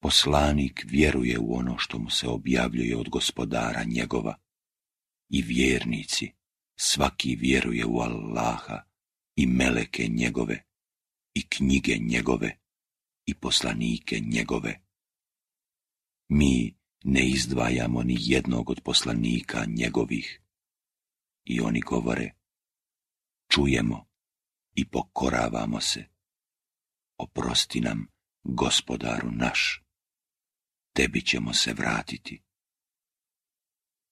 Poslanik vjeruje u ono što mu se objavljuje od Gospodara njegova. I vjernici, svaki vjeruje u Allaha i meleke njegove, i knjige njegove, i poslanike njegove. Mi ne izdvajamo ni jednog od poslanika njegovih. I oni govore, čujemo i pokoravamo se. Oprosti nam, Gospodaru naš, tebi ćemo se vratiti.